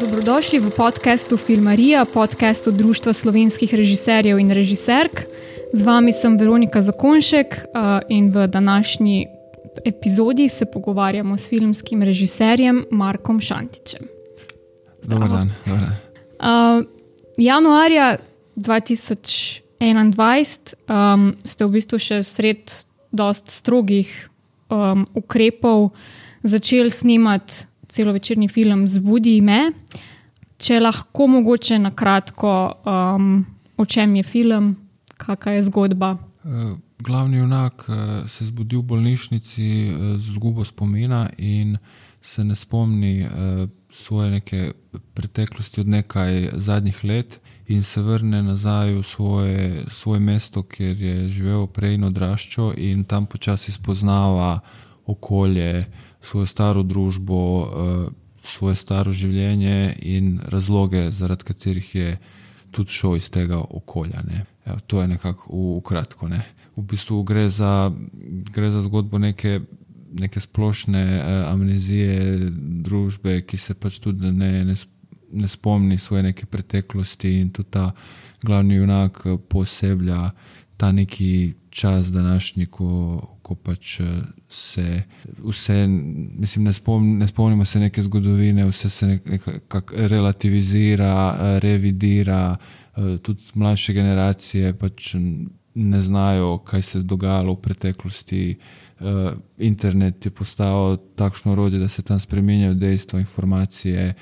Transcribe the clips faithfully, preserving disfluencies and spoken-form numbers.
Dobrodošli v podcastu Filmarija, podcastu Društva slovenskih režiserjev in režiserk. Z vami sem Veronika Zakonšek in v današnji epizodi se pogovarjamo s filmskim režiserjem Markom Šantićem. Dobar dan. Dobar dan. Uh, januarja dva tisoč enaindvajset um, ste v bistvu še sred dost strogih um, ukrepov začeli snemati celovečerni film Zbudi me. Če lahko mogoče na kratko, um, o čem je film, kakva je zgodba? Uh, glavni junak uh, se zbudi v bolnišnici uh, z izgubo spomina in se ne spomni uh, svoje neke preteklosti od nekaj zadnjih let in se vrne nazaj v svoje, svoje mesto, kjer je živel prej in odraščal, in tam počasi spoznava okolje, svojo staro družbo, svoje staro življenje in razloge, zaradi katerih je tudi šel iz tega okolja. Ne. Ja, to je nekako v, v kratko. Ne. V bistvu gre za, gre za zgodbo neke, neke splošne eh, amnezije družbe, ki se pač tudi ne, ne, ne spomni svoje neke preteklosti, in tudi ta glavni junak poseblja ta neki čas današnji, ko, ko pač se vse, mislim, ne, spom, ne spomnimo se neke zgodovine, vse se nekako relativizira, revidira, tudi mlajše generacije pač ne znajo, kaj se je dogajalo v preteklosti. Internet je postal takšno orodje, da se tam spreminjajo dejstva, informacije,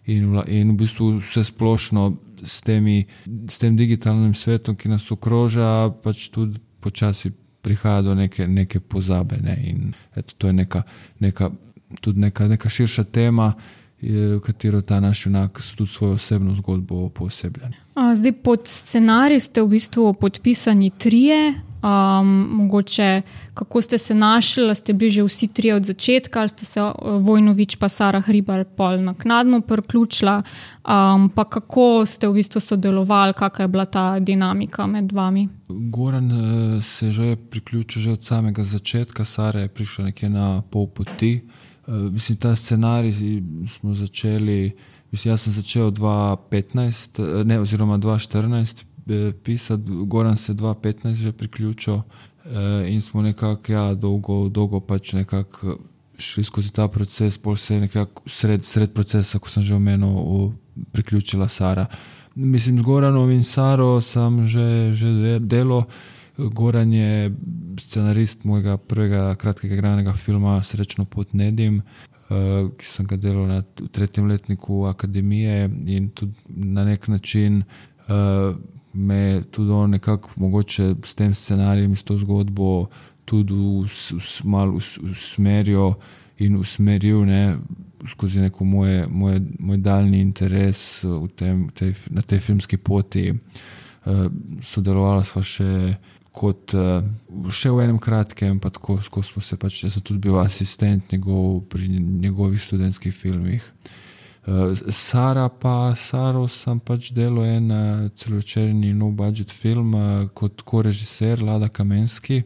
in, in v bistvu vse splošno s, temi, s tem digitalnim svetom, ki nas okroža, pač tudi počasi prihaja do neke, neke pozabe. Ne? In eto, to je neka, neka, tudi neka, neka širša tema, v katero ta naš junak tudi svojo osebno zgodbo pooseblja. Zdaj, pod scenarij ste v bistvu podpisani trije. Um, mogoče, kako ste se našli, ste bili že vsi trije od začetka, ali ste se Vojnović pa Sara Hribar pol naknadno priključila, um, pa kako ste v bistvu sodelovali, kakva je bila ta dinamika med vami? Goran uh, se že priključil že od samega začetka, Sara je prišla nekje na pol poti. Uh, mislim, ta scenarij smo začeli, mislim, jaz sem začel dva petnajst, ne, oziroma dva štirinajst pisati, Goran se dva petnajst že priključil, in smo nekako, ja, dolgo, dolgo pač nekako šli skozi ta proces, pol se je nekako sred, sred procesa, ko sem že omenil, priključila Sara. Mislim, z Goranom in Saro sem že, že delo. Goran je scenarist mojega prvega kratkega igranega filma Srečno pot Nedim, ki sem ga delal na tretjem letniku akademije, in tudi na nek način me tudi on nekako mogoče s tem scenarijem, s to zgodbo tudi malo usmeril in usmeril, ne, skozi neko moje, moje, moj daljni interes v tem, tej, na tej filmski poti. Uh, sodelovala sva še kot uh, še v enem kratkem, pa tako, ko smo se pač, jaz sem tudi bil asistent njegov pri njegovih študentskih filmih. Uh, Sara pa, Saro sem pač delal en uh, celovečerni no budget film uh, kot korežiser Lada Kamenski,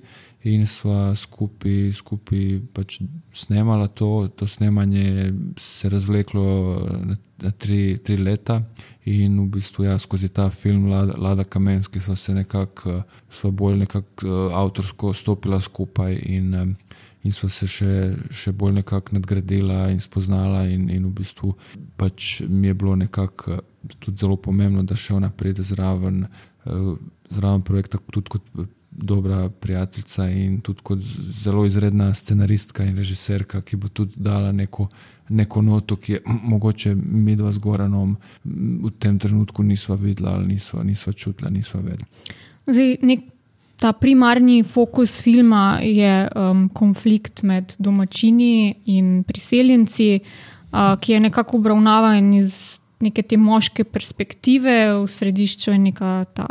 in sva skupaj, skupaj pač snemala to, to snemanje se razvleklo na, na tri, tri leta, in v bistvu ja, skozi ta film Lada, Lada Kamenski sva se nekako, sva bolj nekako uh, avtorsko stopila skupaj, in um, in sva se še, še bolj nekako nadgradila in spoznala, in, in v bistvu pač mi je bilo nekako tudi zelo pomembno, da še ona pride zraven, zraven projekta tudi kot dobra prijateljica in tudi kot zelo izredna scenaristka in režiserka, ki bo tudi dala neko, neko noto, ki je mogoče mi dva z Goranom v tem trenutku nisva videla ali nisva, nisva čutila, nisva vedela. Zdaj, nek Ta primarni fokus filma je um, konflikt med domačini in priseljenci, uh, ki je nekako obravnavan iz neke te moške perspektive. V središču je neka ta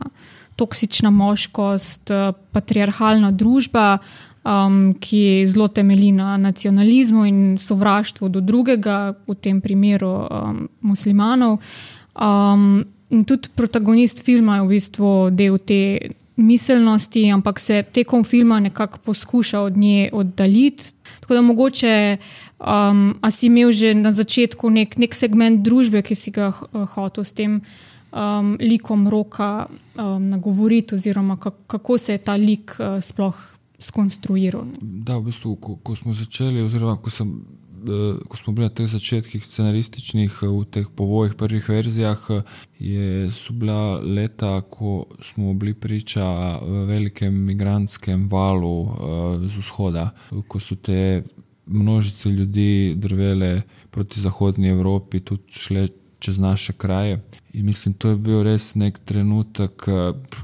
toksična moškost, patriarhalna družba, um, ki zelo temelji na nacionalizmu in sovraštvu do drugega, v tem primeru um, muslimanov. Um, in tudi protagonist filma je v bistvu del te miselnosti, ampak se tekom filma nekako poskuša od nje oddaljiti. Tako da mogoče um, a si imel že na začetku nek, nek segment družbe, ki si ga uh, hotel s tem um, likom Roka um, nagovoriti, oziroma kako se je ta lik uh, sploh skonstruiral. Ne? Da, v bistvu, ko, ko smo začeli, oziroma ko, sem, uh, ko smo bili na teh začetkih scenarističnih, uh, v teh povojih, prvih verzijah, uh, je, so bila leta, ko smo bili priča velikem migrantskem valu uh, z vzhoda, ko so te množice ljudi drvele proti zahodni Evropi, tudi šle čez naše kraje. In mislim, to je bil res nek trenutek,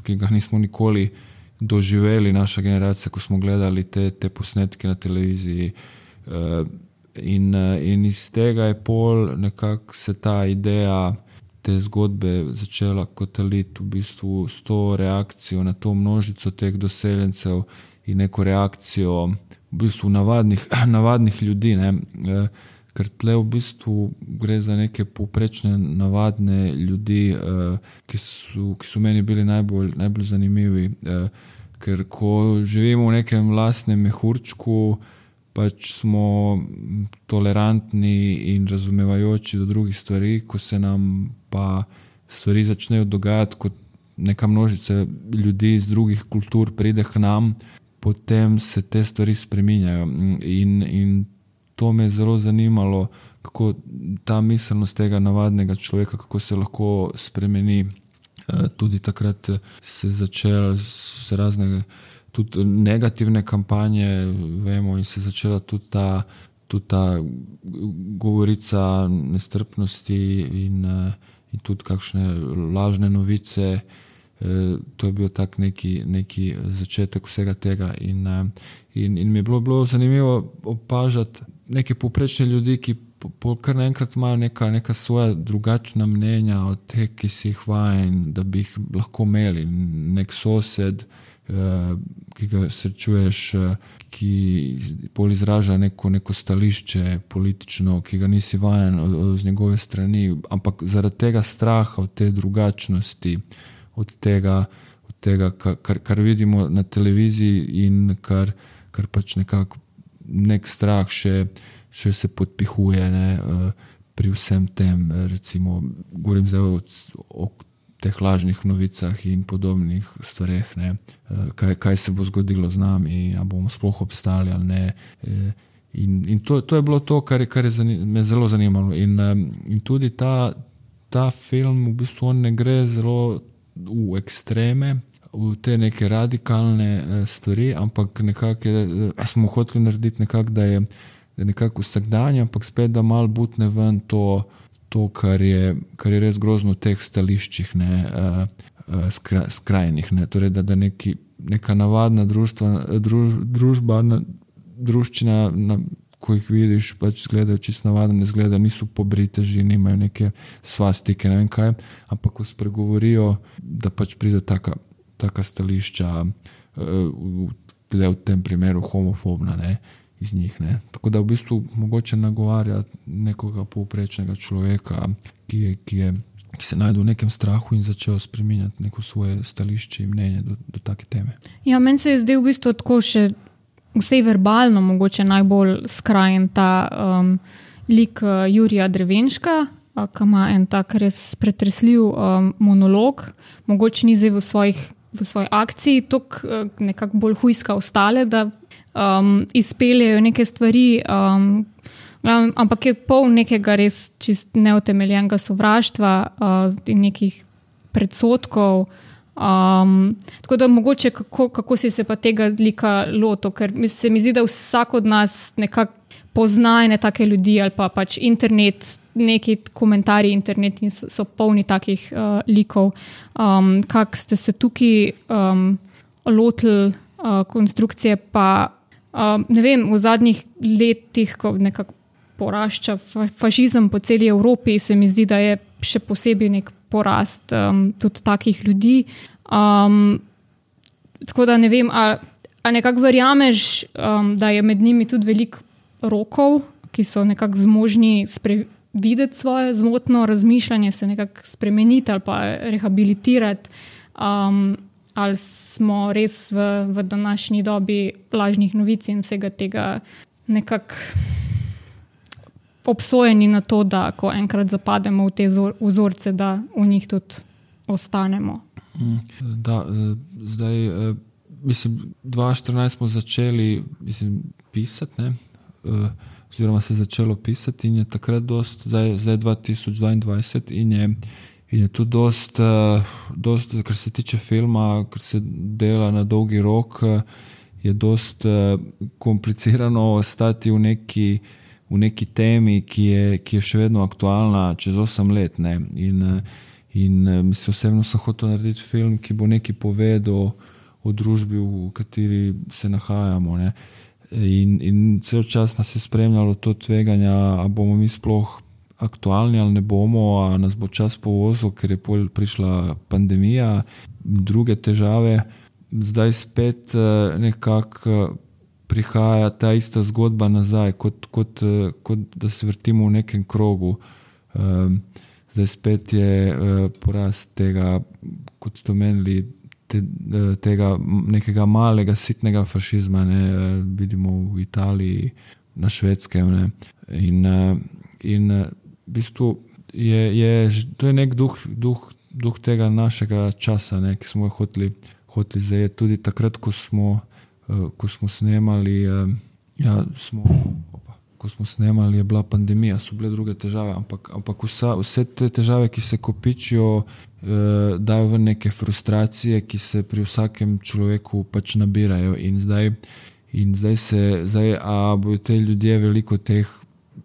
ki ga nismo nikoli doživeli, naša generacija, ko smo gledali te, te posnetke na televiziji. In, in iz tega je pol nekako se ta ideja te zgodbe začela kotaliti v bistvu s to reakcijo na to množico teh doseljencev in neko reakcijo v bistvu navadnih, navadnih ljudi, ne. Ker tle v bistvu gre za neke povprečne navadne ljudi, ki so, ki so meni bili najbolj, najbolj zanimivi. Ker ko živimo v nekem lastnem mehurčku, pač smo tolerantni in razumevajoči do drugih stvari, ko se nam pa stvari začnejo dogajati, kot neka množica ljudi iz drugih kultur pride k nam, potem se te stvari spreminjajo. In, in to me je zelo zanimalo, kako ta miselnost tega navadnega človeka, kako se lahko spremeni. Tudi takrat se začela s razne tudi negativne kampanje, vemo, in se začela tudi ta, tudi ta govorica nestrpnosti in, in tudi kakšne lažne novice. To je bil tak neki, neki začetek vsega tega. In, in, in mi je bilo, bilo zanimivo opažati neke povprečne ljudi, ki po, po, kar naenkrat imajo neka, neka svoja drugačna mnenja od teh, ki si jih vajen, da bi jih lahko imeli. Nek sosed, ki ga srečuješ, ki pol izraža neko, neko stališče politično, ki ga nisi vajen z njegove strani, ampak zaradi tega straha, od te drugačnosti, od tega, od tega kar, kar vidimo na televiziji in kar, kar pač nekako nek strah še, še se podpihuje, ne, pri vsem tem, recimo, govorim zdaj o, o teh lažnih novicah in podobnih stvareh, ne, kaj, kaj se bo zgodilo z nami, a bomo sploh obstali ali ne. In, in to, to je bilo to, kar je, kar je zanim, me zelo zanimalo. In, in tudi ta, ta film v bistvu on ne gre zelo v ekstreme, v te neke radikalne stvari, ampak nekako je, smo hoteli narediti nekako, da je, da je nekako vsakdanje, ampak spet, da malo butne ven to, to kar, je, kar je res grozno v teh stališčih, ne, skra, skrajnih. Ne. Torej, da, da neki, neka navadna društva, druž, družba, druščina, na, ko jih vidiš, pač izgledajo čisto navadno, ne izgledajo, niso pobriteži, nimajo neke svastike, ne vem kaj, ampak ko spregovorijo, da pač pride taka taka stališča, v, v tem primeru homofobna, ne, iz njih. Ne. Tako da v bistvu mogoče nagovarja nekoga povprečnega človeka, ki, je, ki, je, ki se najde v nekem strahu in začel spreminjati neko svoje stališče in mnenje do, do take teme. Ja, meni se je zdaj v bistvu tako še vsej verbalno mogoče najbolj skrajen ta um, lik uh, Jurija Drevenška, uh, ki ima en tak res pretresljiv um, monolog, mogoče ni zdaj v svojih v svoji akciji tok nekako bolj hujska ostale, da um, izpeljejo neke stvari, um, ampak je pol nekega res čist neutemeljenega sovraštva uh, in nekih predsodkov. Um, tako da mogoče kako, kako si se pa tega lika lotil, ker se mi zdi, da vsak od nas nekako pozna ene take ljudi ali pa pač internet, neki komentarji internetni so, so polni takih uh, likov. Um, kak ste se tukaj um, lotili uh, konstrukcije, pa um, ne vem, v zadnjih letih, ko nekako porašča fašizem po celi Evropi, se mi zdi, da je še posebej nek porast um, tudi takih ljudi. Um, tako da ne vem, a, a nekako verjameš, um, da je med njimi tudi veliko rokov, ki so nekako zmožni spre, videti svoje zmotno razmišljanje, se nekako spremeniti ali pa rehabilitirati. Um, ali smo res v, v današnji dobi lažnih novic in vsega tega nekako obsojeni na to, da ko enkrat zapademo v te vzorce, da v njih tudi ostanemo. Da, zdaj, mislim, dva tisoč štirinajst smo začeli mislim, pisati, ne? Oziroma se je začelo pisati in je takrat dost, zdaj, zdaj dva tisoč dvaindvajset in je, in je tu dost, dost, kar se tiče filma, kar se dela na dolgi rok, je dost komplicirano ostati v neki v neki temi, ki je, ki je še vedno aktualna čez osem let. Ne? In, in mislim, osebno sem hotel narediti film, ki bo nekaj povedal o družbi, v kateri se nahajamo. Ne? In, in cel čas nas je spremljalo to tveganje, a bomo mi sploh aktualni ali ne bomo, a nas bo čas povozil, ker je prišla pandemija, druge težave. Zdaj spet nekako prihaja ta ista zgodba nazaj, kot, kot, kot da se vrtimo v nekem krogu. Zdaj spet je porast tega, kot ste omenili, te, tega nekega malega, sitnega fašizma, ne, vidimo v Italiji, na Švedskem. Ne. In, in v bistvu je, je, to je nek duh, duh, duh tega našega časa, ne, ki smo ga hoteli, hoteli zajeti. Tudi takrat, ko smo ko smo snemali, ja, smo, opa, ko smo snemali, je bila pandemija, so bile druge težave, ampak, ampak vsa, vse te težave, ki se kopičijo, eh, dajo v neke frustracije, ki se pri vsakem človeku pač nabirajo in zdaj, in zdaj se, zdaj, a bojo te ljudje veliko teh,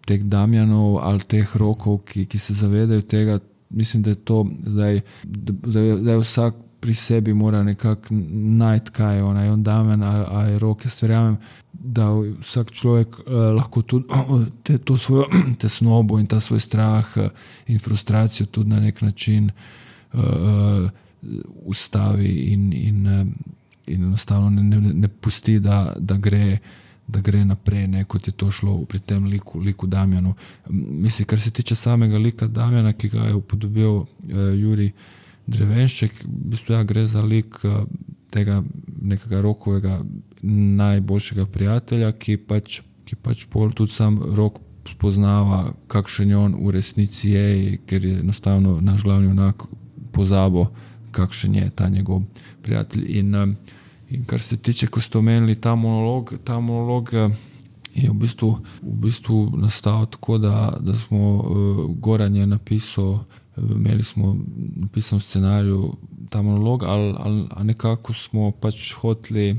teh Damjanov ali teh Rokov, ki, ki se zavedajo tega, mislim, da je to zdaj, da, da je vsak pri sebi mora nekako najti, kaj je on, je on Damjan ali, ali Rok. Jaz verjamem, da vsak človek eh, lahko tudi te, to svojo tesnobo in ta svoj strah in frustracijo tudi na nek način uh, ustavi in, in, in enostavno ne, ne, ne pusti, da, da, gre, da gre naprej, ne, kot je to šlo pri tem liku, liku Damjanu. Mislim, kar se tiče samega lika Damjana, ki ga je upodobil uh, Jurij Drevenšek, v bistvu ja, gre za lik tega nekega Rokovega najboljšega prijatelja, ki pač, ki pač pol tudi sam Rok spoznava, kakšen je on v resnici je, ker je enostavno naš glavni junak pozabo, kakšen je ta njegov prijatelj. In, in kar se tiče, ko ste omenili ta monolog, ta monolog je v bistvu, v bistvu nastal tako, da, da smo uh, Goran je napisal, imeli smo napisan scenarij ta monolog, ali, ali, ali nekako smo pač hoteli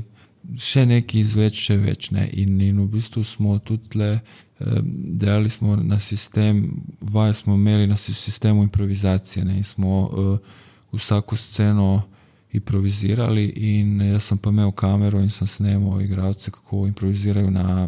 še nekaj izveč, še več. Ne? In, in v bistvu smo tudi tle, eh, delali smo na sistem, vaje smo imeli na sistemu improvizacije, ne? In smo eh, vsako sceno improvizirali in jaz sem pa imel kamero in sem snemal igralce, kako improvizirajo na,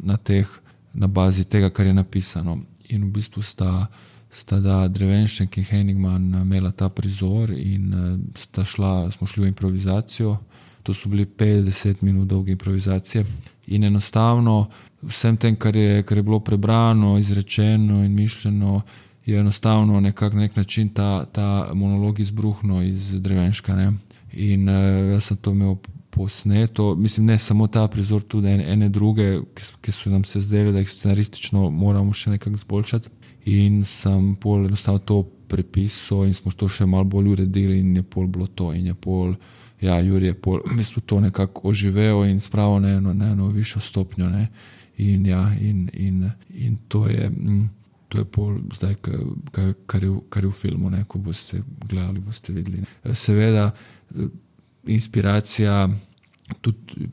na, teh, na bazi tega, kar je napisano. In v bistvu sta sta da Drevenšek in Henigman imela ta prizor in sta šla, smo šli v improvizacijo. To so bili petdeset minut dolge improvizacije in enostavno vsem tem, kar je, kar je bilo prebrano, izrečeno in mišljeno, je enostavno nekak nek način ta, ta monolog izbruhnil iz Drevenška. Ne? In jaz sem to imel posneto, mislim, ne samo ta prizor, tudi ene, ene druge, ki, ki so nam se zdeli, da jih scenaristično moramo še nekako zboljšati. In sem pol enostavno to prepisal in smo to še malo bolj uredili in je pol bilo to in je pol, ja, Jurij je pol, mi smo to nekako oživel in spravil na eno, na eno višjo stopnjo, ne, in ja, in, in, in to je, to je pol zdaj, kar, kar, je, kar je v filmu, ne, ko boste gledali, boste videli. Ne. Seveda, inspiracija tudi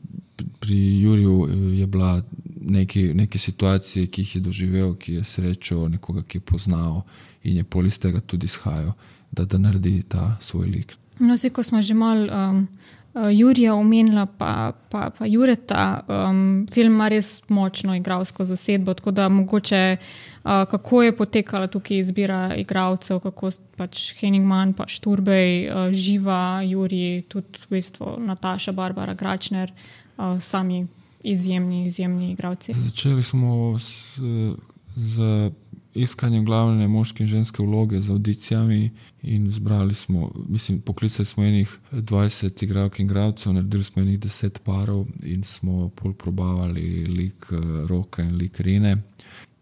pri Juriju je bila neki, neki situacije, ki jih je doživel, ki je srečal nekoga, ki je poznal in je pol iz tega tudi izhajal, da, da naredi ta svoj lik. No, se, ko smo že malo um, Jurija omenila, pa, pa, pa Jureta, um, film ima res močno igralsko zasedbo, tako da mogoče uh, kako je potekala tukaj izbira igralcev, kako pač Henigman, pa Šturbej, uh, Živa, Jurij, tudi v bistvu Nataša, Barbara Gračner, uh, sami izjemni, izjemni igralci. Začeli smo z, z iskanjem glavne moške in ženske vloge z audicijami in zbrali smo, mislim, poklicali smo enih dvajset igralk in igralcev, naredili smo enih deset parov in smo pol probavali lik Roka in lik Rine.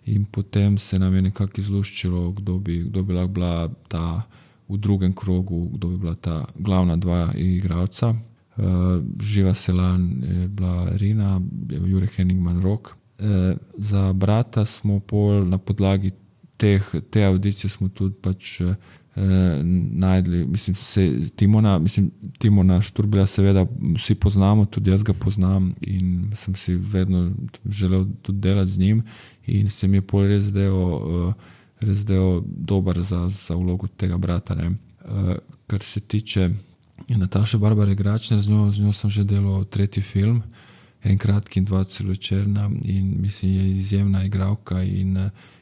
In potem se nam je nekako izluščilo, kdo bi, kdo bi lahko bila ta v drugem krogu, kdo bi bila ta glavna dva igralca. Uh, Živa Selan je bila Rina, Jure Henningman Rok. Uh, za brata smo pol na podlagi teh, te audicije smo tudi pač uh, najdli, mislim, se, Timona, mislim, Timona Šturbila seveda vsi poznamo, tudi jaz ga poznam in sem si vedno želel tudi delati z njim in se mi je pol res zdel, uh, res zdel dober za, za vlogo tega brata. Ne. Uh, kar se tiče Nataše Barbare Gračner, z njo, z njo sem že delal tretji film, en kratki in dva celovečerna in mislim, je izjemna igralka in,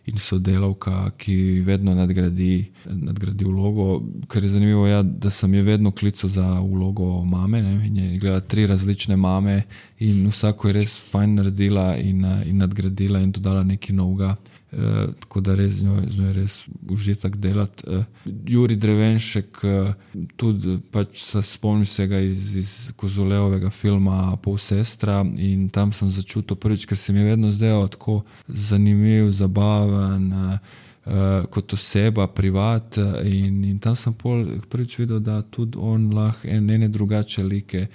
in sodelavka, ki vedno nadgradi, nadgradi vlogo, kar je zanimivo, ja, da sem je vedno klical za vlogo mame, ne, in je gledala tri različne mame in vsako je res fajn naredila in, in nadgradila in dodala nekaj novega. Uh, tako da res z njo, z njo je res užitek delati. Uh, Juri Drevenšek, uh, tudi pač se spomnim se ga iz, iz Kozolevovega filma Pol sestra in tam sem začutil prvič, ker se mi je vedno zdelo tako zanimiv, zabaven, uh, uh, kot oseba, privat uh, in, in tam sem pol prvič videl, da tudi on lahko en, ene drugače like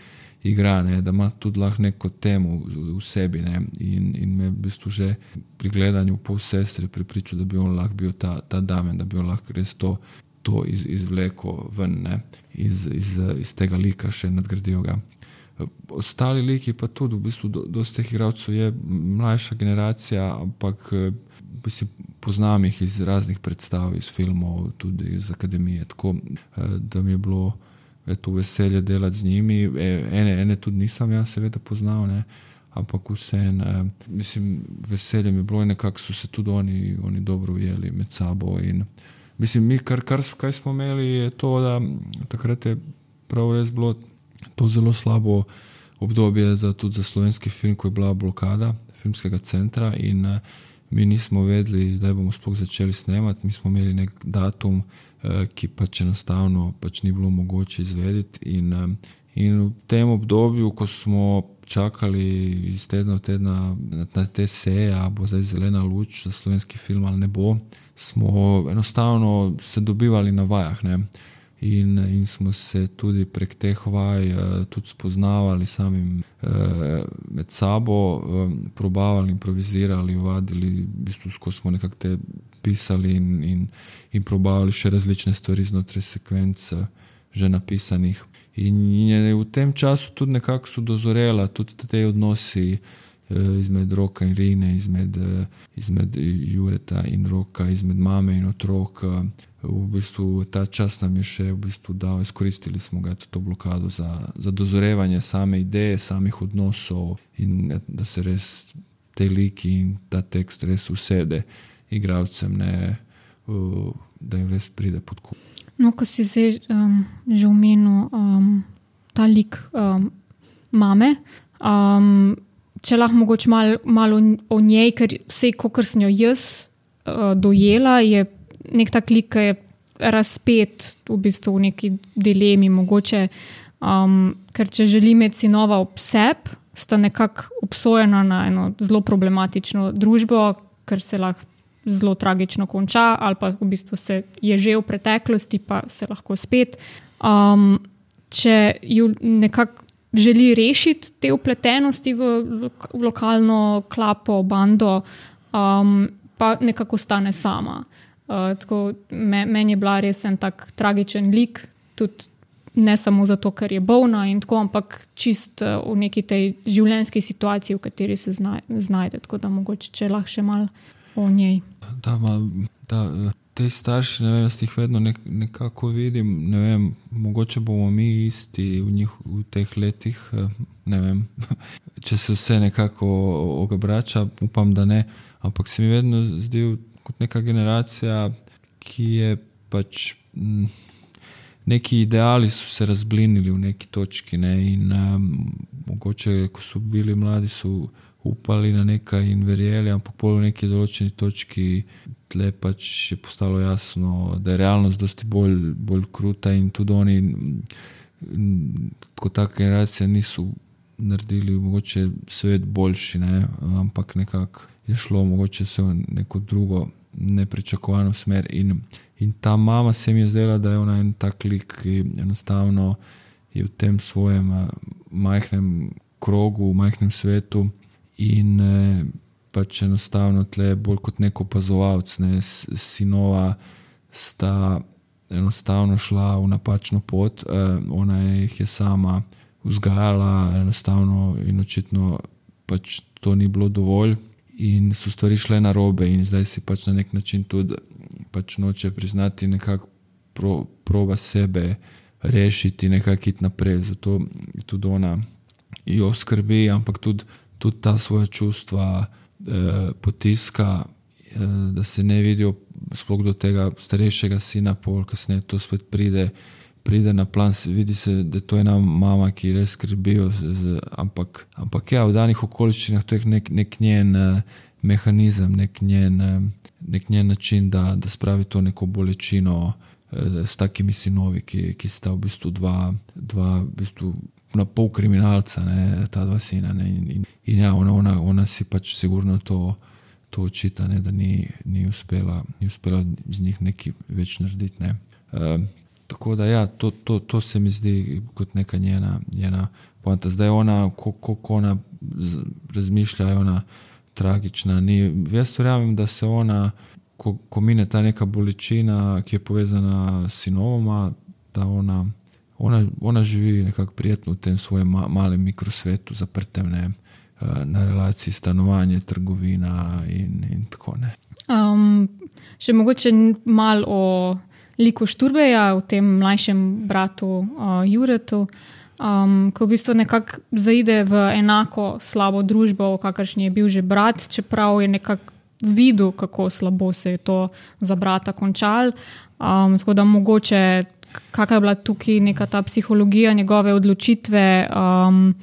igra, ne, da ima tudi lahko neko temo v sebi, ne, in, in me v bistvu že pri gledanju Pol sestre pripričal, da bi on lahko bil ta, ta damen, da bi on lahko res to, to iz, izvleko ven, ne, iz, iz, iz tega lika še nadgradil ga. Ostali liki pa tudi, v bistvu do, dosti teh igralcev je mlajša generacija, ampak mislim, poznam jih iz raznih predstav, iz filmov, tudi iz akademije, tako da mi je bilo je to veselje delati z njimi. Ene, ene tudi nisem jaz seveda poznal, ne, ampak vseen, eh, mislim, veselje mi je bilo in nekako so se tudi oni, oni dobro ujeli med sabo in mislim, mi kar, kar kaj smo imeli je to, da takrat je prav res bilo to zelo slabo obdobje za, tudi za slovenski film, ko je bila blokada filmskega centra in eh, mi nismo vedeli, da bomo sploh začeli snemati, mi smo imeli nek datum, ki pač enostavno pač ni bilo mogoče izvedeti in, in v tem obdobju, ko smo čakali iz tedna v tedna na te seje, a bo zdaj zelena luč za slovenski film ali ne bo, smo enostavno se dobivali na vajah, ne. In, in smo se tudi prek teh vaj tudi spoznavali samim med sabo, probavali, improvizirali, vadili, v bistvu skozi smo nekako te pisali in, in, in probavali še različne stvari znotraj sekvenc že napisanih. In je v tem času tudi nekako so dozorela tudi te odnosi izmed Roka in Rine, izmed, izmed Jureta in Roka, izmed mame in otrok. V bistvu ta čas nam je še v bistvu dal, izkoristili smo ga to blokado za, za dozorevanje same ideje, samih odnosov in da se res te liki in ta tekst res usede igralcem, ne, da jim res pride pod kup. No, ko si zdaj um, že omenil um, ta lik um, mame, um, če lahko mogoče malo mal o njej, ker vse, kakor sem jo jaz uh, dojela, je nek tak lik, ki je razpet v bistvu v neki dilemi mogoče, um, ker če želi imeti sinova ob sebi, sta nekako obsojena na eno zelo problematično družbo, ker se lahko zelo tragično konča ali pa v bistvu se je že v preteklosti, pa se lahko spet. Um, če ju nekako želi rešiti te upletenosti v, v lokalno klapo, bando, um, pa nekako stane sama. Uh, tako, me, meni je bila res en tak tragičen lik, tudi ne samo zato, ker je bolna in tako, ampak čist uh, v neki tej življenjski situaciji, v kateri se zna, znajde, tako da mogoče, če lahko še malo o njej. Da, ma, da, te starši, ne vem, jaz jih vedno nek, nekako vidim, ne vem, mogoče bomo mi isti v, njih, v teh letih, ne vem, če se vse nekako obrača, upam, da ne, ampak se mi vedno zdi kot neka generacija, ki je pač m, neki ideali so se razblinili v neki točki, ne, in um, mogoče, ko so bili mladi, so upali na nekaj in verjeli, ampak pol v neki določeni točki tle pač je postalo jasno, da je realnost dosti bolj, bolj kruta in tudi oni kot taka generacija niso naredili mogoče svet boljši, ne? Ampak nekako je šlo mogoče se v neko drugo nepričakovano smer in, in ta mama se mi je zdela, da je ona en tak lik, ki enostavno je v tem svojem majhnem krogu, v majhnem svetu in eh, pač enostavno tle bolj kot neko opazovalec, ne, sinova sta enostavno šla v napačno pot, eh, ona jih je sama vzgajala enostavno in očitno pač to ni bilo dovolj in so stvari šle narobe in zdaj si pač na nek način tudi pač noče priznati, nekako pro, proba sebe rešiti, nekako iti naprej, zato tudi ona jo skrbi, ampak tudi, tudi ta svoja čustva eh, potiska, eh, da se ne vidijo sploh do tega starejšega sina, pol kasneje to spet pride pride na plan, vidi se, da to je ena mama, ki res skrbijo, z, ampak, ampak ja, v danih okoliščinah to je nek, nek njen uh, mehanizem, nek njen, uh, nek njen način, da, da spravi to neko bolečino uh, s takimi sinovi, ki, ki sta v bistvu dva, dva v bistvu na pol kriminalca, ne, ta dva sina. Ne, in, in, in ja, ona, ona, ona si pač sigurno to, to očita, ne, da ni, ni, uspela, ni uspela z njih nekaj več narediti. Ne. Uh, Tako da ja, to, to, to se mi zdi kot neka njena, njena poanta. Zdaj ona, kako ona razmišlja, je ona tragična. Ni, jaz verjamem, da se ona, ko, ko mine ta neka bolečina, ki je povezana s sinovoma, da ona, ona, ona živi nekako prijetno v tem svojem ma, malem mikrosvetu, zaprtem, ne, na relaciji stanovanje, trgovina in, in tako ne. Um, še mogoče malo o liku Šturbeja, v tem mlajšem bratu uh, Juretu, um, ko v bistvu nekako zaide v enako slabo družbo, v kakršni je bil že brat, čeprav je nekako videl, kako slabo se je to za brata končal. Um, tako da mogoče, kakva je bila tukaj neka ta psihologija njegove odločitve. Um,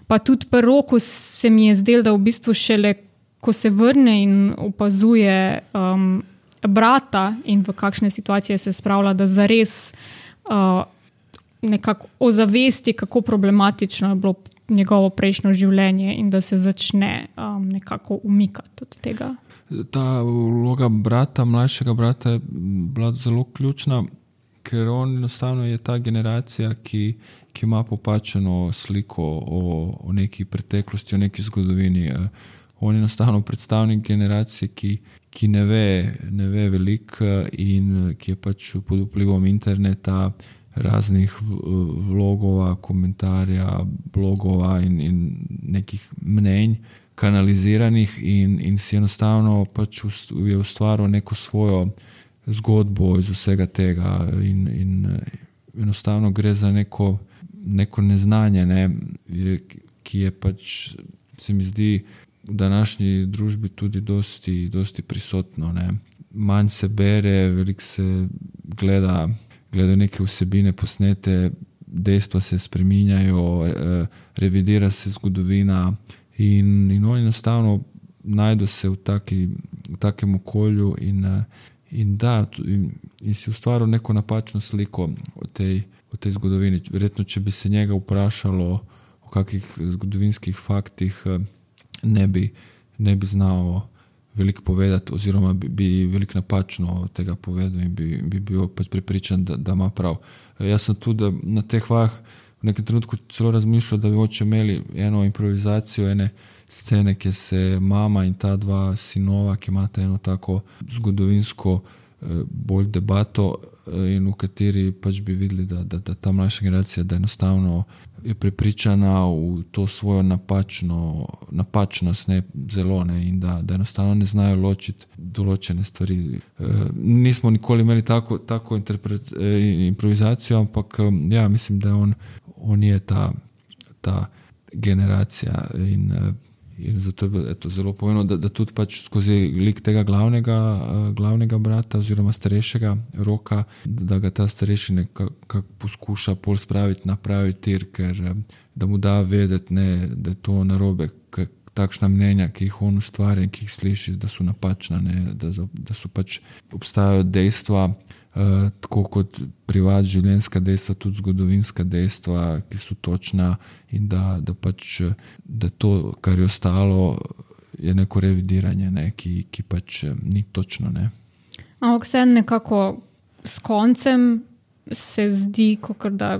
pa tudi pri Roku se mi je zdelo, da v bistvu šele, ko se vrne in opazuje um, brata in v kakšne situacije se spravlja, da zares uh, nekako ozavesti, kako problematično je bilo njegovo prejšnjo življenje in da se začne um, nekako umikati od tega. Ta vloga brata, mlajšega brata je bila zelo ključna, ker on enostavno je ta generacija, ki, ki ima popačeno sliko o, o neki preteklosti, o neki zgodovini. On je enostavno predstavnik generacije, ki ki ne ve, ne ve veliko in ki je pač pod vplivom interneta, raznih vlogova, komentarja, blogova in, in nekih mnenj kanaliziranih in, in si enostavno pač je ustvaril neko svojo zgodbo iz vsega tega in, in enostavno gre za neko, neko neznanje, ne, ki je pač, se mi zdi, v današnji družbi tudi dosti, dosti prisotno. Ne. Manj se bere, veliko se gleda, gleda neke vsebine posnete, dejstva se spreminjajo, revidira se zgodovina in, in oni enostavno najdu se v, taki, v takem okolju in, in da, in, in si ustvaril neko napačno sliko o tej, o tej zgodovini. Verjetno, če bi se njega vprašalo o kakih zgodovinskih faktih, ne bi, ne bi znal veliko povedati oziroma bi, bi veliko napačno tega povedal in bi, bi bil pač prepričan, da, da ima prav. Jaz sem tudi na teh vajah v nekem trenutku celo razmišljal, da bi oče imeli eno improvizacijo, ene scene, ki se mama in ta dva sinova, ki imata eno tako zgodovinsko bolj debato in v kateri pač bi videli, da, da, da ta mlajša generacija, da enostavno je prepričana v to svojo napačno, napačnost, ne, zelo, ne, in da, da enostavno ne znajo ločiti določene stvari. E, nismo nikoli imeli tako, tako interpret, e, improvizacijo, ampak ja, mislim, da on, on je ta, ta generacija in in zato je to zelo pomembno, da, da tudi pač skozi lik tega glavnega, glavnega brata oziroma starejšega Roka, da ga ta starejši nekako poskuša pol spraviti na pravi tir, ker da mu da vedeti, ne, da je to narobe, takšna mnenja, ki jih on ustvarja in ki jih sliši, da so napačna, ne, da, da so pač obstajajo dejstva, Uh, tako kot privat življenjska dejstva, tudi zgodovinska dejstva, ki so točna in da, da pač da to, kar je ostalo, je neko revidiranje, ne, ki, ki pač ni točno. Ne. Ampak vse nekako s koncem se zdi, kakor da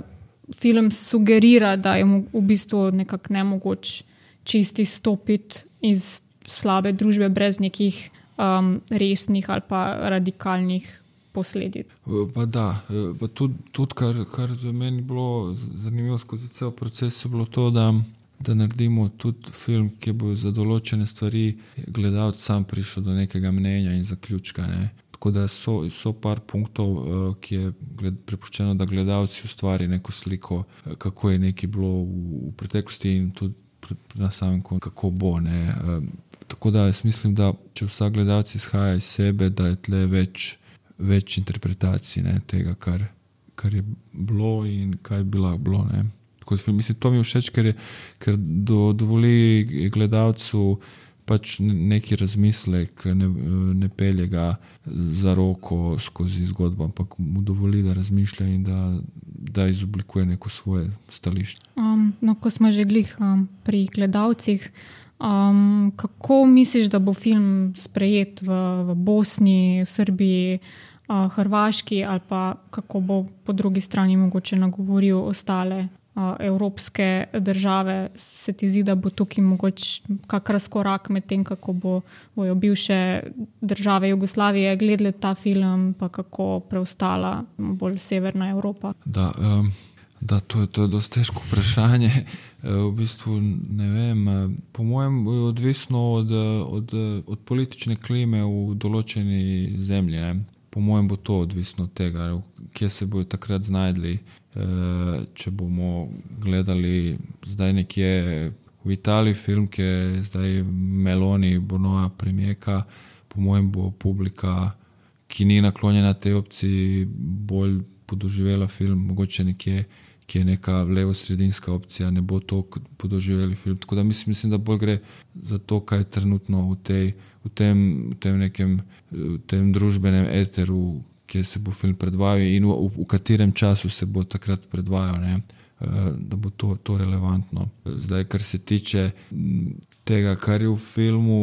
film sugerira, da je v bistvu nekako nemogoč čisti stopiti iz slabe družbe brez nekih um, resnih ali pa radikalnih posledic. Pa da, pa tudi, tudi kar, kar za meni bilo zanimivo skozi cel proces, je bilo to, da, da naredimo tudi film, ki bo za določene stvari gledalec sam prišel do nekega mnenja in zaključka. Ne. Tako da so, so par punktov, ki je gled, prepuščeno, da gledalci ustvari neko sliko, kako je nekaj bilo v, v preteklosti in tudi na samem koncu, kako bo. Ne. Tako da jaz mislim, da če vsak gledalec izhaja iz sebe, da je tle več več interpretacij, ne, tega, kar, kar je bilo in kaj bi lahko bilo. Ne. Film, mislim, to mi je všeč, ker, je, ker do, dovoli gledalcu pač neki razmislek, ne, ne pelje ga za roko skozi zgodbo, ampak mu dovoli, da razmišlja in da, da izoblikuje neko svoje stališče. Um, no, ko smo že glih um, pri gledalcih, um, kako misliš, da bo film sprejet v, v Bosni, v Srbiji, uh, Hrvaški ali pa kako bo po drugi strani mogoče nagovoril ostale uh, evropske države? Se ti zdi, da bo tukaj mogoče kak razkorak med tem, kako bo, bojo bivše države Jugoslavije gledali ta film, pa kako preostala bolj severna Evropa? Da, um, da to, je, to je dosti težko vprašanje. V bistvu ne vem, po mojem je odvisno od, od, od politične klime v določeni zemlji. Ne. Po mojem bo to odvisno od tega, kje se bojo takrat znajdli. Če bomo gledali zdaj nekje v Italiji film, ki je zdaj Meloni, Bonoa, premijeka, po mojem bo publika, ki ni naklonjena tej opciji, bolj podoživela film, mogoče nekje, ki je neka levo-sredinska opcija, ne bo to podoživeli film. Tako da mislim, mislim, da bolj gre za to, kaj je trenutno v, tej, v, tem, v tem nekem v tem družbenem eteru, kjer se bo film predvajal in v, v katerem času se bo takrat predvajal, ne? Da bo to, to relevantno. Zdaj, kar se tiče tega, kar je v filmu,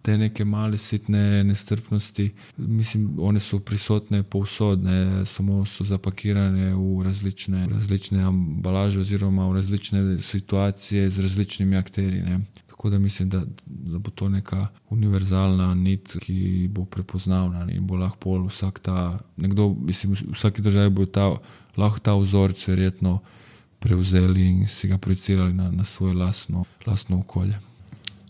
te neke male sitne nestrpnosti, mislim, one so prisotne povsod, ne, samo so zapakirane v različne, različne ambalaže oziroma v različne situacije z različnimi akterji. Ne. Tako da mislim, da, da bo to neka univerzalna nit, ki bo prepoznavna in bo lahko vsak ta, nekdo, mislim, v vsaki državi bo ta, lahko ta vzorec verjetno prevzeli in si ga projicirali na, na svoje lastno, lastno okolje.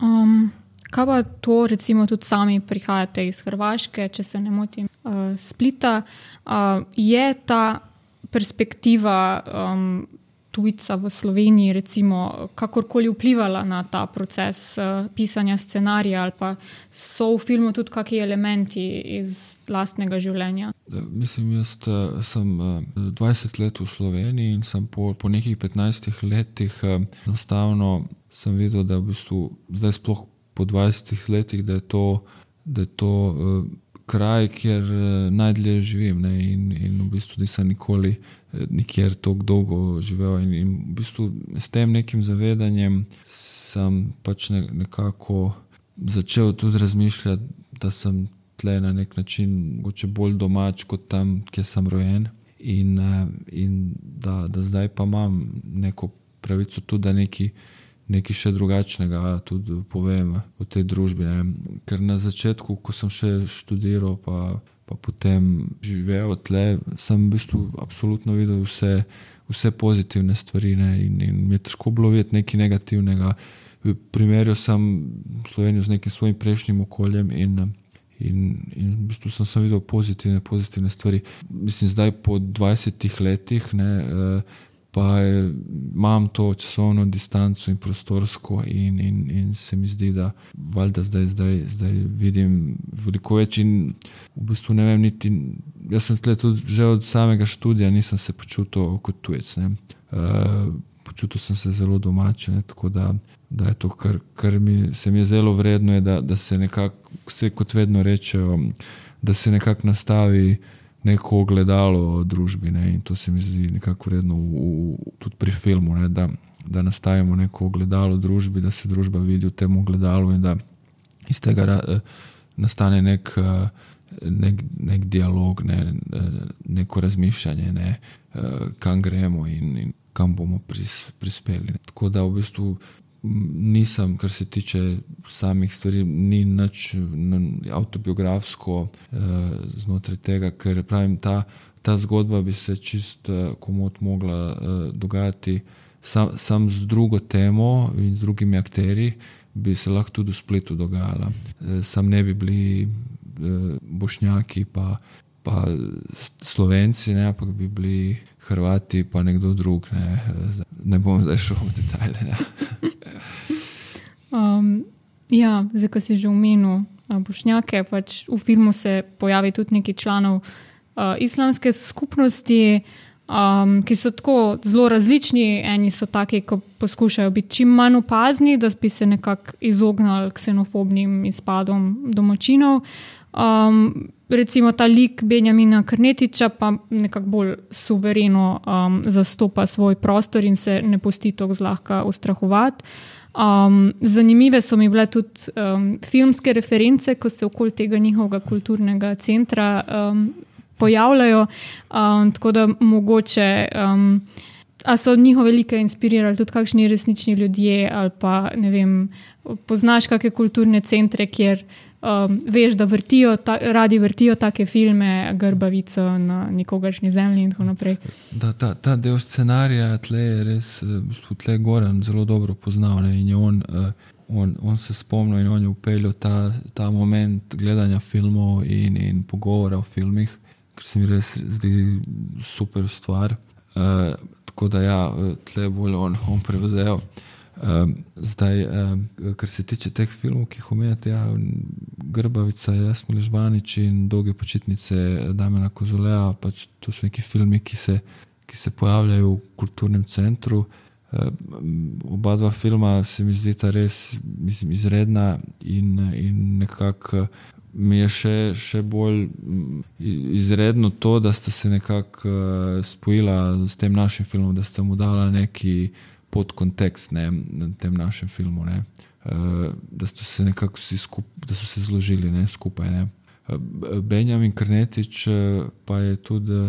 Um. Kaj pa to, recimo, tudi sami prihajate iz Hrvaške, če se ne motim, uh, Splita, uh, je ta perspektiva um, tujca v Sloveniji, recimo, kakorkoli vplivala na ta proces uh, pisanja scenarija ali pa so v filmu tudi kakšni elementi iz lastnega življenja? Mislim, jaz uh, sem uh, dvajset let v Sloveniji in sem po, po nekih petnajstih letih uh, enostavno sem videl, da v bistvu zdaj sploh po dvajsetih letih, da je to, da je to uh, kraj, kjer uh, najdlje živim, ne, in, in v bistvu nisem nikoli uh, nikjer toliko dolgo živel in, in v bistvu s tem nekim zavedanjem sem pač ne, nekako začel tudi razmišljati, da sem tle na nek način mogoče bolj domač kot tam, kjer sem rojen in, uh, in da, da zdaj pa imam neko pravico tudi, da neki nekaj še drugačnega tudi povem o tej družbi. Ne. Ker na začetku, ko sem še študiral, pa, pa potem živel tle, sem v bistvu absolutno videl vse, vse pozitivne stvari, ne. In, in mi je težko bilo videti nekaj negativnega. Primerjal sem Slovenijo z nekim svojim prejšnjim okoljem in, in, in v bistvu sem, sem videl pozitivne, pozitivne stvari. Mislim, zdaj po dvajsetih letih, ne, pa imam to časovno distanco in prostorsko in, in, in se mi zdi, da valjda zdaj, zdaj, zdaj vidim veliko več in v bistvu ne vem niti, jaz sem tle tudi že od samega študija nisem se počutil kot tujec, ne. Uh, počutil sem se zelo domače, ne, tako da da je to, kar, kar mi, se mi je zelo vredno, je, da, da se nekako, vse kot vedno rečejo, da se nekako nastavi neko ogledalo o družbi, ne, in to se mi zdi nekako vredno v, v, tudi pri filmu, ne, da, da nastavimo neko ogledalo družbi, da se družba vidi v tem ogledalu in da iz tega nastane nek, nek, nek dialog, ne, neko razmišljanje, ne, kam gremo in, in kam bomo pris, prispeli. Tako da v bistvu nisem, kar se tiče samih stvari, ni nič avtobiografsko eh, znotraj tega, ker pravim, ta, ta zgodba bi se čist eh, komot mogla eh, dogajati sam, sam z drugo temo in z drugimi akteri, bi se lahko tudi v Splitu dogajala. Eh, sam ne bi bili eh, Bošnjaki pa, pa Slovenci, ne, ampak bi bili Hrvati pa nekdo drug. Ne, ne bom zdaj šel v detajle. Ne. Um, ja, zdaj, ko si že omenil uh, Bošnjake, pač v filmu se pojavi tudi neki članov uh, islamske skupnosti, um, ki so tako zelo različni. Eni so taki, ko poskušajo biti čim manj opazni, da bi se nekako izognali ksenofobnim izpadom domačinov. Um, recimo ta lik Benjamina Karnetiča pa nekako bolj suvereno um, zastopa svoj prostor in se ne pusti tako zlahka ustrahovati. Um, zanimive so mi bile tudi um, filmske reference, ko se okoli tega njihovega kulturnega centra um, pojavljajo, um, tako da mogoče um, a so njihove like inspirirali tudi kakšni resnični ljudje ali pa ne vem, poznaš kakšne kulturne centre, kjer um, veš, da vrtijo ta, radi vrtijo take filme, Grbavico na nikogaršnji zemlji in tako naprej. Da, ta, ta del scenarija tle je res, tle Goran zelo dobro poznal, ne, in je on, on, on se spomnil in on je upeljal ta, ta moment gledanja filmov in, in pogovora o filmih, ker se mi res zdi super stvar. Uh, tako da ja, tle bolj on, on prevzel. Um, zdaj, um, kar se tiče teh filmov, ki jih omenjate, ja, Grbavica, Jasmil Žbanič in Dolge počitnice Damjana Kozoleja, pač to so neki filmi, ki se, ki se pojavljajo v kulturnem centru. Um, oba dva filma se mi zdita res, mislim, izredna in, in nekako mi je še, še bolj izredno to, da sta se nekako uh, spojila s tem našim filmom, da sta mu dala neki podkontekst, ne, na tem našem filmu, ne. Uh, da so se nekako vsi skupaj, da so se zložili, ne, skupaj, ne. Uh, Benjamin Karnetič uh, pa je tudi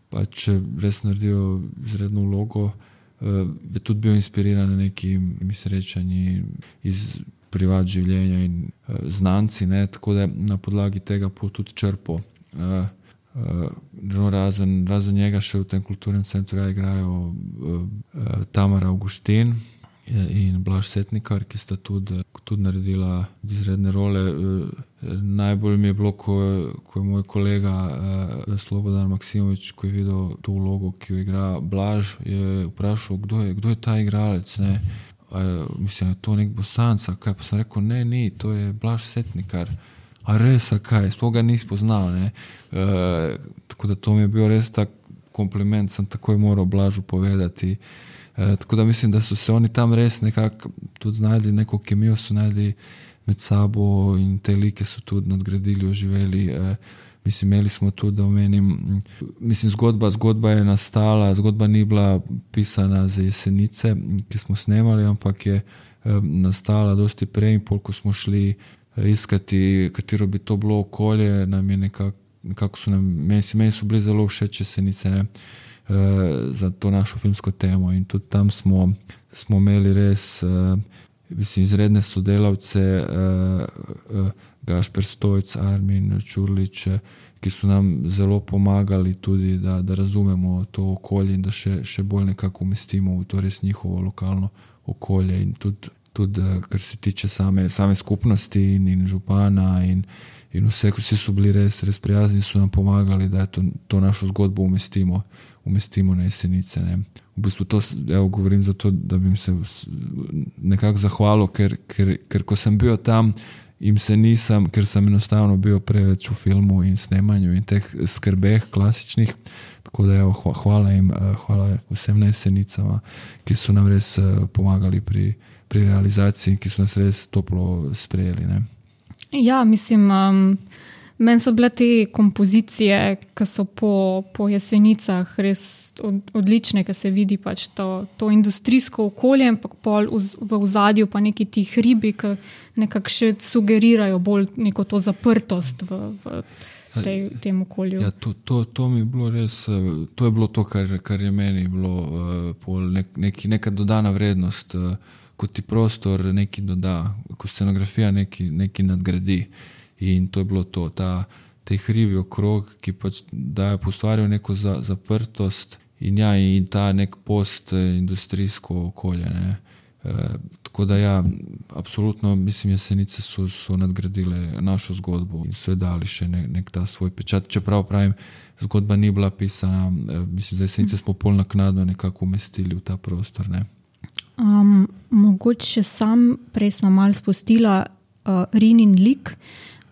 pač res naredil izredno vlogo, uh, je tudi bil inspiriran na nekimi srečanji iz privat življenja in uh, znanci, ne, tako da na podlagi tega pol tudi črpo. Uh, uh, no, razen, razen njega še v tem kulturnem centru ja, igrajo uh, uh, Tamara Augustin in Blaž Setnikar, ki sta tudi, tudi naredila izredne role. Uh, najbolj mi je bilo, ko, ko je moj kolega uh, Slobodan Maksimovič, ko je videl to vlogo, ki jo igra Blaž, je vprašal, kdo je, kdo je ta igralec, ne. Uh, mislim, je to nek Bosanc, kaj, pa sem rekel, ne, ni, to je Blaž Setnikar. A res, a kaj, sploh ga nis poznal, ne. Uh, tako da to mi je bil res tak kompliment, sem takoj moral Blažu povedati. Uh, tako da mislim, da so se oni tam res nekako tudi znajdli, neko kemijo so najdli med sabo in te like so tudi nadgradili, oživeli. Uh, Mislim, imeli smo tudi, da omenim, mislim, zgodba, zgodba je nastala, zgodba ni bila pisana za Jesenice, ki smo snemali, ampak je eh, nastala dosti prej in pol, ko smo šli eh, iskati, katero bi to bilo okolje, nam je nekako, nekako so nam, meni, meni so bili zelo všeč Jesenice, ne, eh, za to našo filmsko temo in tudi tam smo, smo imeli res, eh, mislim, izredne sodelavce, eh, eh, Gašper Stojc, Armin Čurlič, ki so nam zelo pomagali tudi, da, da razumemo to okolje in da še, še bolj nekako umestimo v to res njihovo lokalno okolje in tudi, tudi kar se tiče same, same skupnosti in, in župana in, in vse, vsi so bili res, res prijazni, so nam pomagali, da to, to našo zgodbo umestimo, umestimo na Jesenice, ne. V bistvu to, evo, govorim zato, da bi se nekako zahvalil, ker, ker, ker ko sem bil tam, im se nisem, ker sem enostavno bil preveč v filmu in snemanju in teh skrbeh klasičnih, tako da evo, hvala jim, hvala vsem na Jesenicama, ki so nam res pomagali pri, pri realizaciji, ki so nas res toplo sprejeli. Ne? Ja, mislim, um, meni so bile te kompozicije, ki so po, po Jesenicah res od, odlične, ki se vidi pač to, to industrijsko okolje, ampak pol v, v ozadju pa neki ti hribi, ki nekako še sugerirajo bolj neko to zaprtost v, v tej, tem okolju. Ja, to, to, to mi je bilo res, to je bilo to, kar, kar je meni bilo pol nek, neki, neka dodana vrednost, ko ti prostor nekaj doda, ko scenografija nekaj, nekaj nadgradi. In to je bilo to, ta, te hribi okrog, ki pač dajo postvarjajo neko za, zaprtost in ja, in ta nek postindustrijsko okolje, ne. E, tako da ja, absolutno, mislim, Jesenice so, so nadgradile našo zgodbo in so je dali še nek, nek ta svoj pečat. Čeprav pravim, zgodba ni bila pisana, e, mislim, za Jesenice smo pol naknadno nekako umestili v ta prostor, ne. Um, mogoče sam, prej smo malo spustila uh, Rinin lik,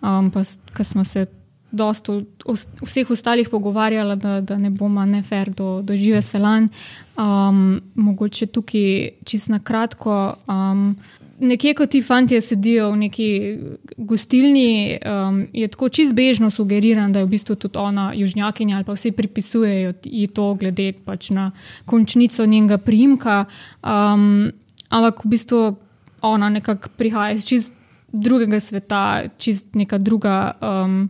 um, pa ko smo se dosto o vseh ostalih pogovarjala, da, da ne bomo nefer do, do Žive Selan. Um, mogoče tukaj čisto na kratko. Um, nekje, ko ti fantje sedijo v neki gostilni, um, je tako čisto bežno sugeriran, da je v bistvu tudi ona južnjakinja ali pa vsi pripisujejo ji to glede pač na končnico njenega priimka. Um, ampak v bistvu ona nekako prihaja iz čist drugega sveta, čist neka druga um,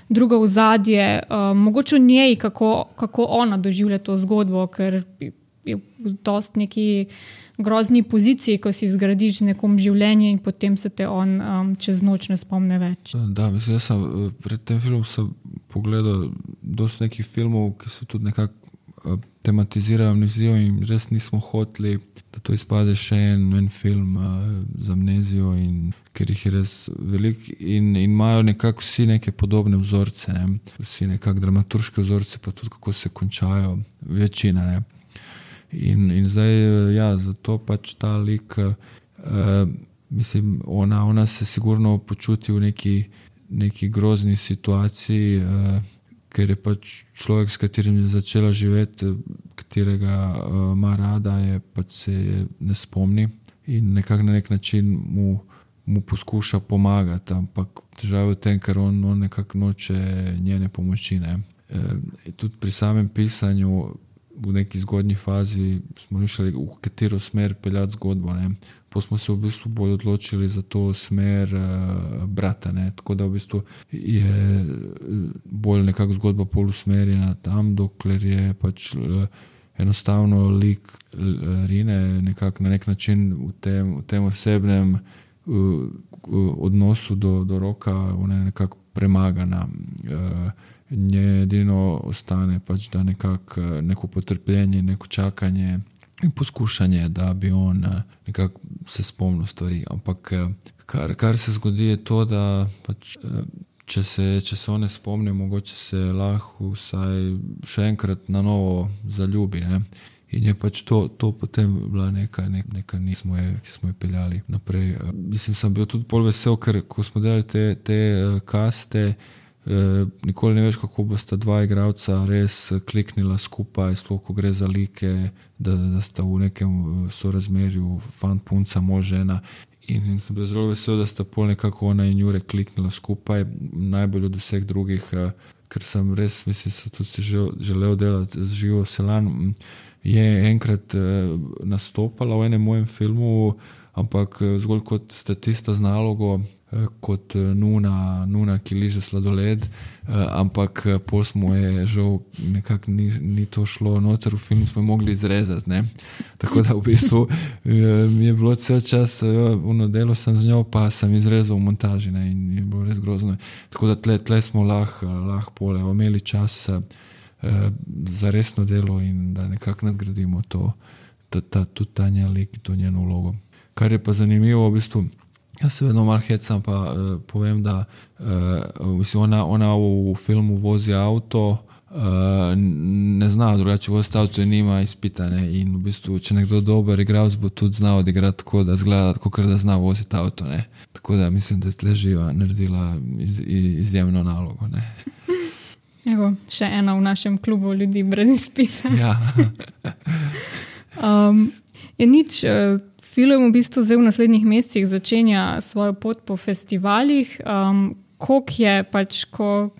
drugo ozadje, um, mogoče v njej, kako, kako ona doživlja to zgodbo, ker je v dost neki grozni poziciji, ko si zgradiš z nekom življenje in potem se te on um, čez noč ne spomne več. Da, mislim, jaz sem pred tem filmom sem pogledal dosti nekih filmov, ki so tudi nekako tematizirajo amnezijo in res nismo hoteli, da to izpade še en, en film uh, z amnezijo, in, ker jih je res veliko in, in imajo nekako vsi neke podobne vzorce, ne? Vsi nekako dramaturške vzorce, pa tudi kako se končajo, večina. Ne? In, in zdaj, ja, zato pač ta lik, uh, mislim, ona, ona se sigurno počuti v neki, neki grozni situaciji, uh, ker je pač človek, s katerim je začela živeti, katerega uh, ima rada, je pač se je ne spomni in nekako na nek način mu, mu poskuša pomagati, ampak težava je v tem, ker on, on nekako noče njene pomoči. Ne. E, tudi pri samem pisanju v neki zgodnji fazi smo mišljali, v katero smer peljati zgodbo. Ne. Pa smo se v bistvu bolj odločili za to smer uh, brata, ne. Tako da v bistvu je bolj nekako zgodba pol usmerjena tam, dokler je pač uh, enostavno lik uh, Rine nekako na nek način v tem, v tem osebnem uh, uh, odnosu do, do Roka, ona je nekako premagana. Uh, nje edino ostane pač, da nekako uh, neko potrpljenje, neko čakanje in poskušanje, da bi on nekako se spomnil stvari. Ampak kar, kar se zgodi je to, da pač, če, se, če se on ne spomne, mogoče se lahko vsaj še enkrat na novo zaljubi. Ne? In je pač to, to potem bila neka, neka, neka ni, smo je, ki smo jo peljali naprej. Mislim, sem bil tudi bolj vesel, ker ko smo delali te, te kaste, nikoli ne veš, kako bosta dva igralca res kliknila skupaj, sploh ko gre za like, da, da sta v nekem sorazmerju fant, punca, mož, žena. In, in sem bil zelo vesel, da sta pol nekako ona in Jure kliknila skupaj, najbolj od vseh drugih, ker sem res, mislim, se tudi si želel delati z Živo Selan. Je enkrat nastopala v enem mojem filmu, ampak zgolj kot statista z nalogo, kot nuna, nuna, ki liže sladoled, ampak pol smo je žal nekako ni, ni to šlo noter v film, smo mogli izrezati, ne. Tako da v bistvu mi je bilo cel čas, ono delo sem z njo, pa sem izrezal v montaži, ne, in je bilo res grozno. Tako da tle, tle smo lahko lah pole imeli čas uh, za resno delo in da nekako nadgradimo to, ta, ta, tudi ta njen lik, to njeno vlogo. Kar je pa zanimivo, v bistvu, jaz se vedno malo hecam, pa uh, povem, da uh, ona, ona v, v filmu vozi avto, uh, ne zna drugače voziti avto in nima izpita. Ne? In v bistvu, če nekdo dober igralec, bo tudi znal odigrati tako, da zgleda, tako da zna voziti avto. Ne? Tako da mislim, da je tle Živa naredila iz, izjemno nalogo. Ne? Evo, še ena v našem klubu ljudi brez izpita. Ja. um, je nič... Uh, film v bistvu zdaj v naslednjih mesecih začenja svojo pot po festivalih. Um, koliko je pač, ko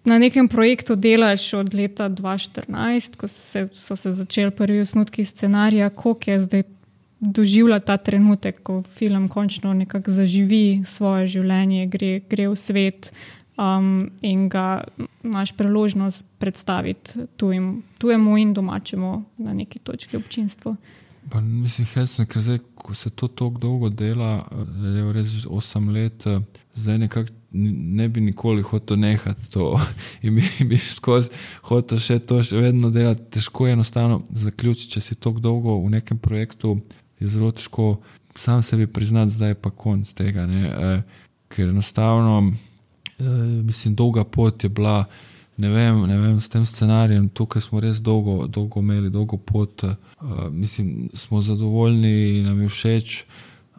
na nekem projektu delaš od leta dva tisoč štirinajst, ko se, so se začeli prvi osnutki scenarija, koliko je zdaj doživlja ta trenutek, ko film končno nekako zaživi svoje življenje, gre, gre v svet um, in ga imaš priložnost predstaviti tujim, tujemu in domačemu na neki točki občinstvu. Pa mislim, hecno, ker zdaj, ko se to toliko dolgo dela, je res osem let, zdaj nekako ne bi nikoli hotel nehati to in bi, bi skozi hotel še to še vedno delati. Težko je enostavno zaključiti, če si toliko dolgo v nekem projektu, je zelo težko sam sebi priznati, zdaj je pa konc tega, ne? E, ker enostavno e, mislim, dolga pot je bila, ne vem, ne vem, s tem scenarijem, tukaj smo res dolgo, dolgo imeli, dolgo pot, e, mislim, smo zadovoljni, nam je všeč,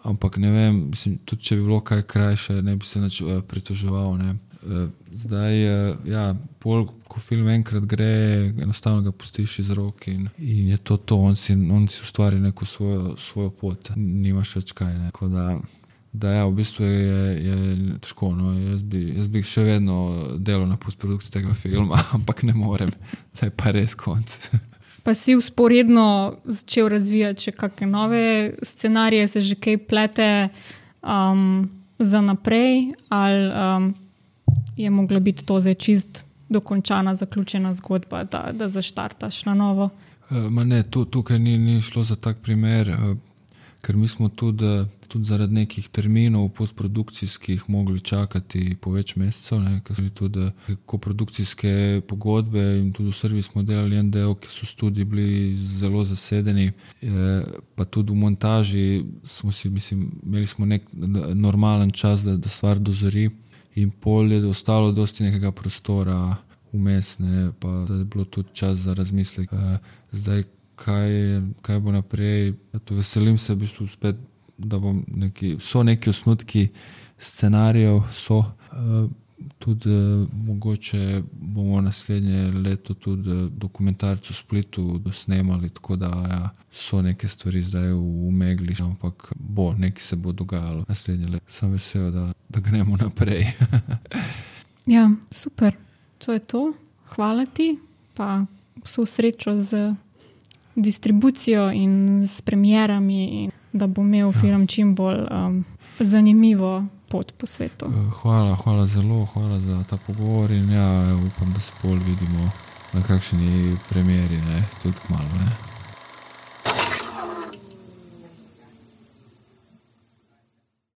ampak ne vem, mislim, tudi če bi bilo kaj krajše, ne bi se nič uh, pritoževal, ne. Uh, zdaj, uh, ja, pol, ko film enkrat gre, enostavno ga pustiš iz rok in, in je to to, on si, on si ustvari neko svojo, svojo pot, nimaš več kaj, ne. Tako da, da ja, v bistvu je, je težko, no, jaz bi, jaz bi še vedno delal na postprodukciji tega filma, ampak ne morem, zdaj pa res konc. Pa si usporedno začel razvijati še kakšne nove scenarije, se že kaj plete um, za naprej, ali um, je mogla biti to zdaj čist dokončana, zaključena zgodba, da, da zaštartaš na novo? Uh, ma ne, tu, tukaj ni, ni šlo za tak primer, uh, ker mi smo tudi, tudi zaradi nekih terminov postprodukcijskih mogli čakati po več mesecev, ne, ker smo tudi koprodukcijske pogodbe in tudi v Srbiji smo delali en del, ki so studiji bili zelo zasedeni, e, pa tudi v montaži smo si, mislim, imeli smo nek normalen čas, da, da stvar dozori in pol je ostalo dosti nekega prostora vmes, ne, pa da je bilo tudi čas za razmislek. E, zdaj, Kaj, kaj bo naprej. To veselim se v bistvu spet, da bom neki, so neki osnutki scenarijev, so uh, tudi uh, mogoče bomo naslednje leto tudi dokumentarec v Splitu snemali, tako da ja, so neke stvari zdaj v, v megli, ampak bo, nekaj se bo dogajalo naslednje leto. Sem vesel, da, da gremo naprej. Ja, super. To je to. Hvala ti, pa vso srečo z distribucijo in s premierami, in da bo imel ja. film čim bolj um, zanimivo pot po svetu. Hvala, hvala zelo, hvala za ta pogovor in ja, upam, da se bolj vidimo na kakšni premieri, ne, tudi kmalu, ne.